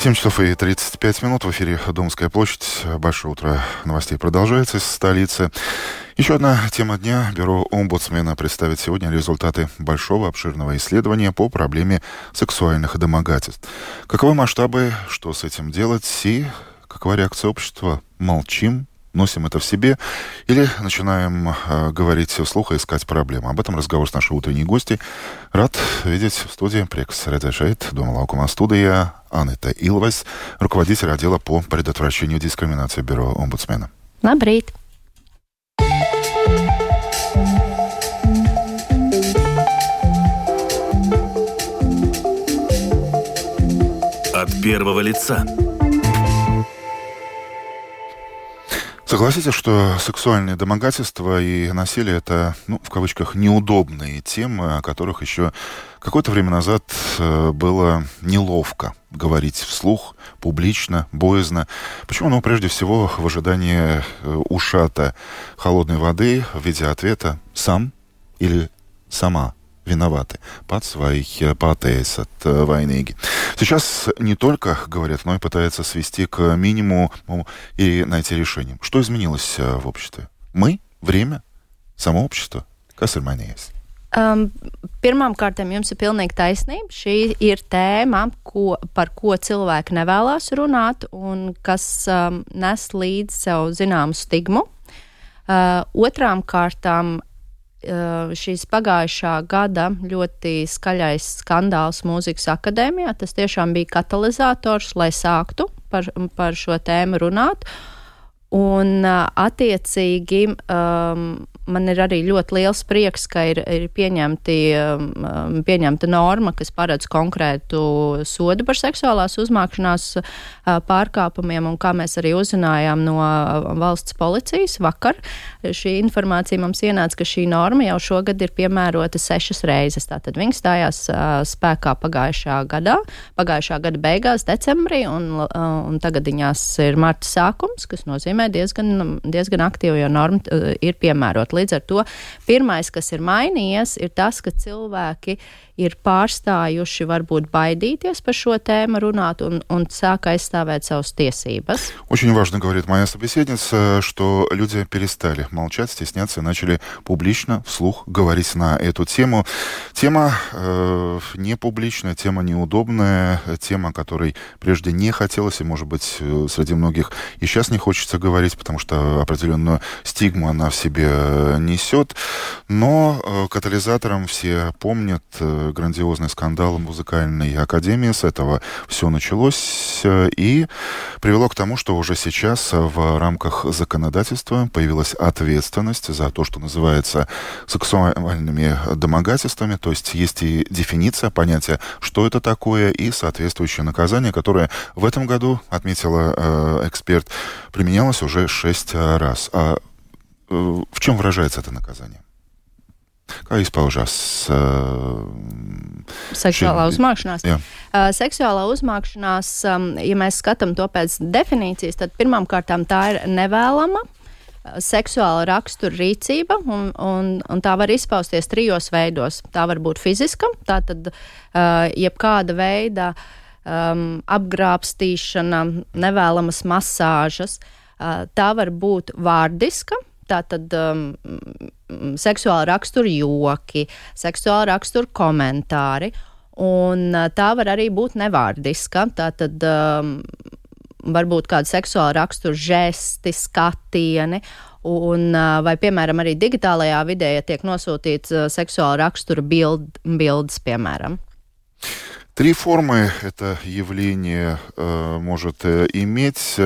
7 часов и 35 минут. В эфире Домская площадь. Большое утро новостей продолжается из столицы. Еще одна тема дня. Бюро омбудсмена представит сегодня результаты большого обширного исследования по проблеме сексуальных домогательств. Каковы масштабы, что с этим делать и какова реакция общества? Молчим, носим это в себе или начинаем говорить вслух и искать проблемы? Об этом разговор с нашей утренней гостьей. Рад видеть в студии Prieks redzēt Дома Laukuma студия Анита Илвас, руководитель отдела по предотвращению дискриминации Бюро омбудсмена. Labrīt! От первого лица. Согласитесь, что сексуальные домогательства и насилие — это, в кавычках, неудобные темы, о которых еще какое-то время назад было неловко говорить вслух, публично, боязно. Почему? Прежде всего, в ожидании ушата холодной воды в виде ответа «сам» или «сама» виноваты. Pats vai pateicat vainīgi. Сейчас не только говорят, но и пытаются свести к минимуму и найти решение. Что изменилось в обществе? Мы, время, само общество. Kas ir mainījies? Pirmām kārtām jums ir pilnīgi taisnība. Šī ir tēma, par ko cilvēki nevēlas runāt un kas nes līdz sev zināmu stigmu. Otrām kārtām šīs pagājušā gada ļoti skaļais skandāls Mūzikas akadēmijā. Tas tiešām bija katalizators, lai sāktu par šo tēmu runāt. Un attiecīgi man ir arī ļoti liels prieks, ka ir pieņemta norma, kas paredz konkrētu sodu par seksuālās uzmākšanās pārkāpumiem, un kā mēs arī uzzinājām no valsts policijas vakar, šī informācija mums ienāca, ka šī norma jau šogad ir piemērota 6 reizes. Tātad viņa stājās spēkā pagājušā gada beigās, decembrī, un tagad viņās ir marta sākums, kas nozīmē diezgan aktīvi, jo norma ir piemērota. Līdz ar to pirmais, kas ir mainījies, ir tas, ka cilvēki ir pārstājuši varbūt baidīties par šo tēmu runāt un sāk aizstāvēt savas tiesības. Очень важно, говорит моя собеседница, что люди перестали молчать, стесняться и начали публично, вслух говорить на эту тему. Тема не публичная, тема неудобная, тема, о которой прежде не хотелось, и, может быть, среди многих и сейчас не хочется говорить, потому что определенную стигму она в себе несет. Но катализатором все помнят грандиозный скандал музыкальной академии. С этого все началось и привело к тому, что уже сейчас в рамках законодательства появилась ответственность за то, что называется сексуальными домогательствами. То есть есть и дефиниция, понятие, что это такое, и соответствующее наказание, которое в этом году, отметила эксперт, применялось уже 6 раз. А в чем выражается это наказание? Kā izpaužās seksuālā uzmākšanās? Jā. Seksuālā uzmākšanās, ja mēs skatām to pēc definīcijas, tad pirmām kārtām tā ir nevēlama seksuāla rakstura rīcība, un tā var izpausties 3 veidos. Tā var būt fiziska, tātad jebkāda veida apgrābstīšana, nevēlamas masāžas. Tā var būt vārdiska, tātad seksuāla rakstura joki, seksuāla rakstura komentāri, un tā var arī būt nevārdiska, tātad varbūt kāda seksuāla rakstura žesti, skatieni, un vai, piemēram, arī digitālajā vidē, ja tiek nosūtīts seksuāla rakstura bildes, piemēram. 3 формы это явление может иметь.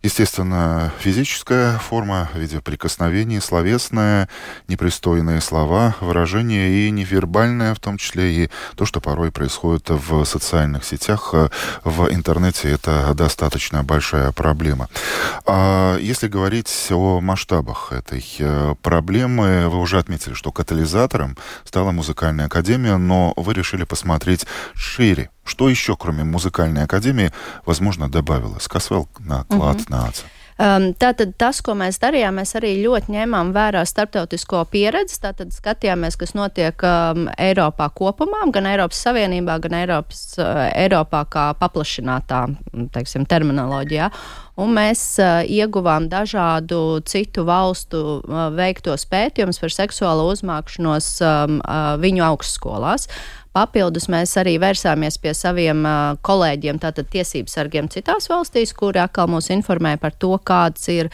Естественно, физическая форма в виде прикосновений, словесная, непристойные слова, выражения и невербальное, в том числе и то, что порой происходит в социальных сетях, в интернете. Это достаточно большая проблема. А если говорить о масштабах этой проблемы, вы уже отметили, что катализатором стала музыкальная академия, но вы решили посмотреть шире. Что еще, кроме музыкальной академии, возможно, добавилось? Kas vēl nāk klāt nāca? Tātad tas, ko mēs darījām, mēs arī ļoti ņēmām vērā starptautisko pieredzi, tātad skatījāmies, kas notiek Eiropā kopumā, gan Eiropas Savienībā, gan Eiropā kā paplašinātā, teiksim, terminoloģijā. Un mēs ieguvām dažādu citu valstu veiktos pētījumus par seksuālo uzmākšanos viņu augstskolās. Papildus mēs arī vērsāmies pie saviem kolēģiem, tātad tiesību sargiem citās valstīs, kuri atkal mūs informēja par to, kāds ir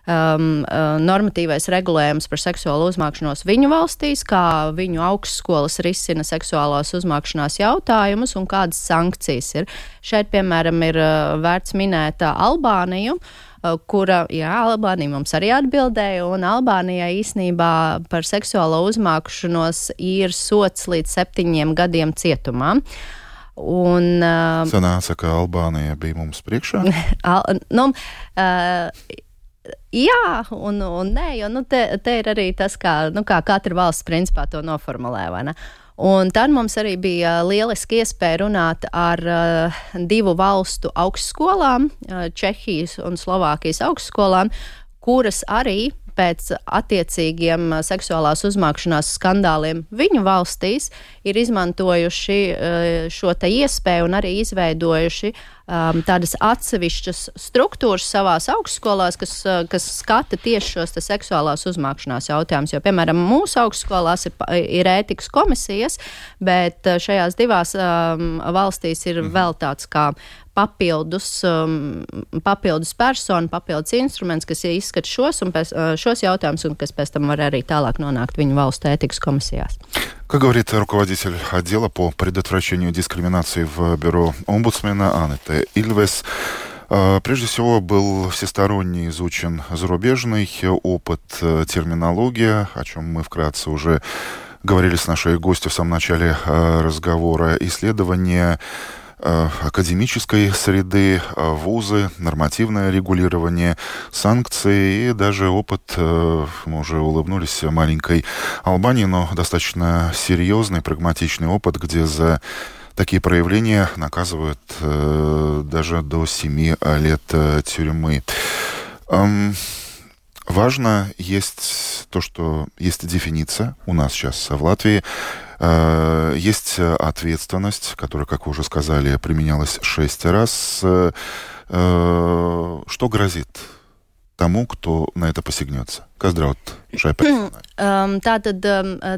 normatīvais regulējums par seksuālo uzmākšanos viņu valstīs, kā viņu augstskolas risina seksuālās uzmākšanās jautājumus un kādas sankcijas ir. Šeit, piemēram, ir vērts minēt Albāniju, kura, Albānija mums arī atbildēja, un Albānijai īsnībā par seksuālo uzmākšanos ir sots līdz 7 gadiem cietumā. Un, sanāca, ka Albānija bija mums priekšā? Jā, un nē, jo te ir arī tas, kā katra valsts principā to noformulē, vai ne? Un tad mums arī bija lieliski iespēja runāt ar 2 valstu augstskolām, Čehijas un Slovākijas augstskolām, kuras arī pēc attiecīgiem seksuālās uzmākšanās skandāliem viņu valstīs ir izmantojuši šo te iespēju un arī izveidojuši tādas atsevišķas struktūras savās augstskolās, kas skata tieši šos te seksuālās uzmākšanās jautājumus. Jo, piemēram, mūsu augstskolās ir ētikas komisijas, bet šajās 2 valstīs ir vēl tāds kā papildus persona, papildus instruments, kas izskata šos jautājumus un kas pēc tam var arī tālāk nonākt viņu valstu ētikas komisijās. Как говорит руководитель отдела по предотвращению дискриминации в бюро омбудсмена Анетта Ильвес, прежде всего был всесторонне изучен зарубежный опыт, терминология, о чем мы вкратце уже говорили с нашей гостью в самом начале разговора, исследования академической среды, вузы, нормативное регулирование, санкции и даже опыт, мы уже улыбнулись маленькой Албании, но достаточно серьезный, прагматичный опыт, где за такие проявления наказывают даже до 7 лет тюрьмы. Важно есть то, что есть дефиниция у нас сейчас в Латвии, есть ответственность, которая, как вы уже сказали, применялась 6 раз. Что грозит тому, кто на это посягнется? Kas draud šai personai? Tātad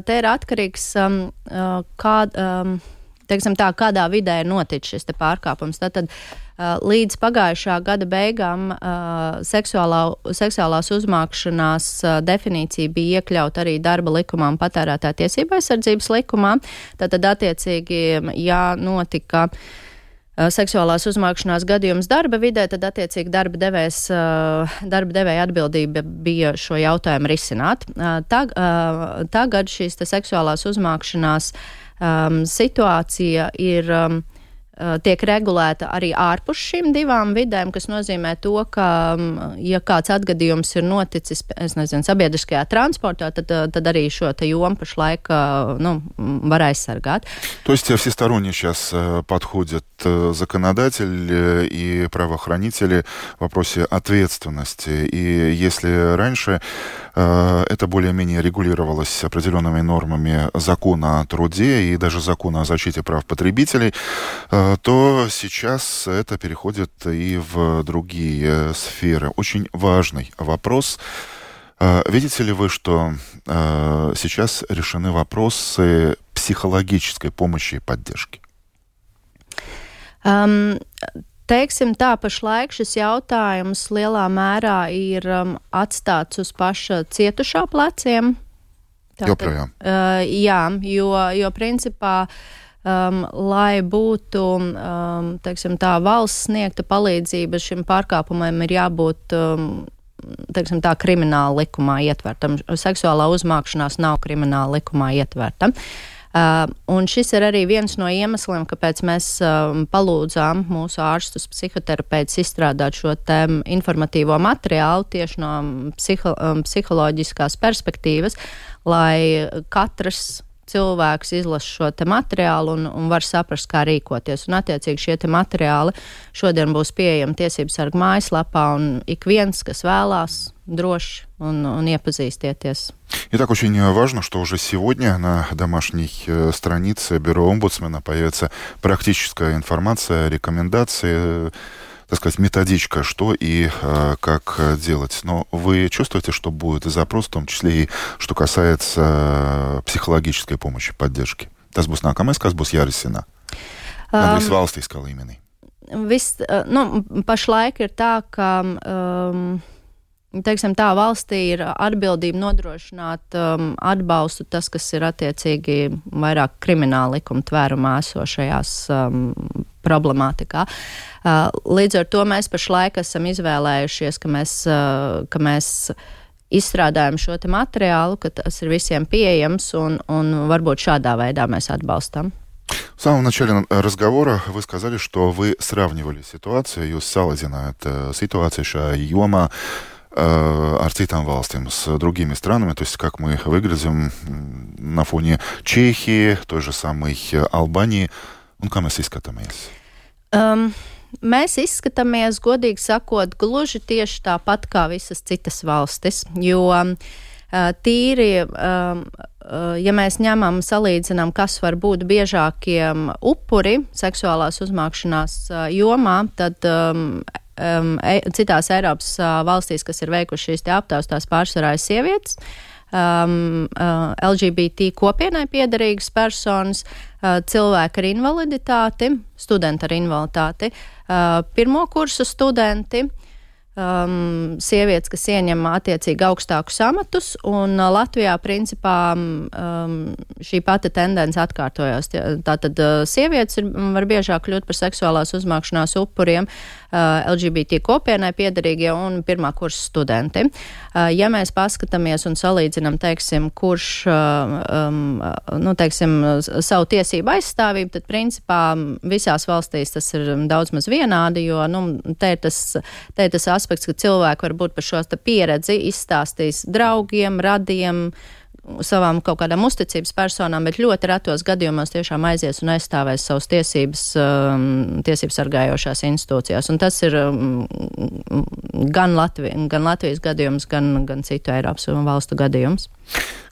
te ir atkarīgs, kādā vidē ir noticis šis te pārkāpums. Tātad līdz pagājušā gada beigām seksuālās uzmākšanās definīcija bija iekļauta arī darba likumā un patērētāja tiesība aizsardzības likumā. Tātad attiecīgi, ja notika seksuālās uzmākšanās gadījums darba vidē, tad attiecīgi darba devēja atbildība bija šo jautājumu risināt. Tagad šīs te seksuālās uzmākšanās situācija ir tiek regulēta arī ārpus šīm 2 vidēm, kas nozīmē to, ka, ja kāds atgadījums ir noticis, sabiedriskajā transportā, tad arī šo te jomu pašlaik, var aizsargāt. То есть всесторонне сейчас подходят законодатель и правоохранители в вопросе ответственности. И если раньше это более-менее регулировалось определенными нормами закона о труде и даже закона о защите прав потребителей, то сейчас это переходит и в другие сферы. Очень важный вопрос. Видите ли вы, что сейчас решены вопросы психологической помощи и поддержки? Teiksim tā, pašlaik šis jautājums lielā mērā ir atstāts uz paša cietušā pleciem. Joprojām. Jā, jo principā, lai būtu, teiksim tā, valsts sniegta palīdzība šim pārkāpumam ir jābūt, teiksim tā, krimināla likumā ietvertam. Seksuālā uzmākšanās nav krimināla likumā ietverta. Un šis ir arī viens no iemesliem, kāpēc mēs palūdzām mūsu ārstus psihoterapeitus izstrādāt šo te informatīvo materiālu tieši no psiholoģiskās perspektīvas, lai katrs cilvēks izlasa šo te materiālu un var saprast, kā rīkoties. Un attiecīgi šie te materiāli šodien būs pieejami Tiesību sarga mājaslapā, un ik viens, kas vēlās, droši un iepazīstieties. Итак, очень важно, что уже сегодня на домашней странице Бюро омбудсмена появится практическая информация, рекомендации, так сказать, методичка, что и как делать. Но вы чувствуете, что будет запрос, в том числе и что касается психологической помощи, поддержки? Tas būs nākamais, kas būs jārisina? Gandrīz valstiskā līmenī. Pašlaik ir tā, ka teiksim tā, valstī ir atbildība nodrošināt atbalstu tas, kas ir attiecīgi vairāk krimināla likuma tvērumā esošajās problemātikā. Līdz ar to mēs pašlaik esam izvēlējušies, ka mēs izstrādājam šo te materiālu, ka tas ir visiem pieejams un varbūt šādā veidā mēs atbalstam. В самом начале разговора вы сказали, что вы сравнивали ситуацию, jūs salīdzinājāt situāciju šajā jomā ar citām valstīm, с другими странами, то есть как мы выглядим на фоне Чехии, той же самой Албании, un kā mēs izskatāmies? Mēs izskatāmies, godīgi sakot, gluži tieši tāpat kā visas citas valstis, jo tīri, ja mēs ņemam, salīdzinām, kas var būt biežākiem upuri seksuālās uzmākšanās jomā, tad citās Eiropas valstīs, kas ir veikuši šīs te aptaujas, tās pārsvarā ir sievietes, LGBT kopienai piederīgas personas, cilvēki ar invaliditāti, studenti ar invaliditāti, pirmo kursu studenti, sievietes, kas ieņem attiecīgi augstākus amatus, un Latvijā principā šī pati tendence atkārtojās. Tātad sievietes var biežāk kļūt par seksuālās uzmākšanās upuriem, LGBT kopienai piederīgie un pirmā kursa studenti. Ja mēs paskatāmies un salīdzinām, teiksim, kurš, savu tiesību aizstāvību, tad principā visās valstīs tas ir daudz maz vienādi, jo, te ir tas aspekts, ka cilvēki var būt par šo pieredzi izstāstījis draugiem, radiem, savām kaut kādām uzticības personām, bet ļoti retos gadījumos tiešām aizies un aizstāvēs savas tiesības sargājošās institūcijās. Un tas ir gan Latvijas gadījums, gan citu Eiropas valstu gadījums.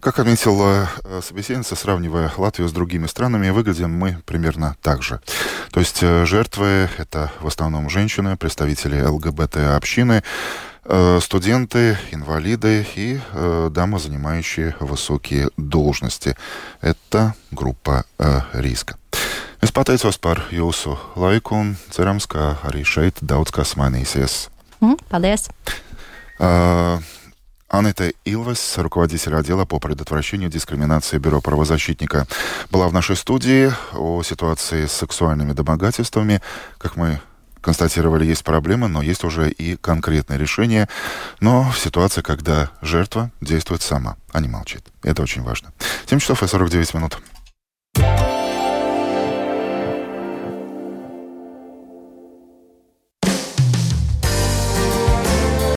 Как отметила собеседница, сравнивая Латвию с другими странами, выглядим мы примерно так же. То есть жертвы — это в основном женщины, представители ЛГБТ-общины, студенты, инвалиды и дамы, занимающие высокие должности. Это групpa riska. Es pateicos par jūsu laiku un cerams, ka arī šeit daudz kas mainīsies. Paldies! Анетта Илвес, руководитель отдела по предотвращению дискриминации Бюро правозащитника, была в нашей студии. О ситуации с сексуальными домогательствами, как мы констатировали, есть проблемы, но есть уже и конкретные решения. Но в ситуации, когда жертва действует сама, а не молчит. Это очень важно. 7 часов и 49 минут.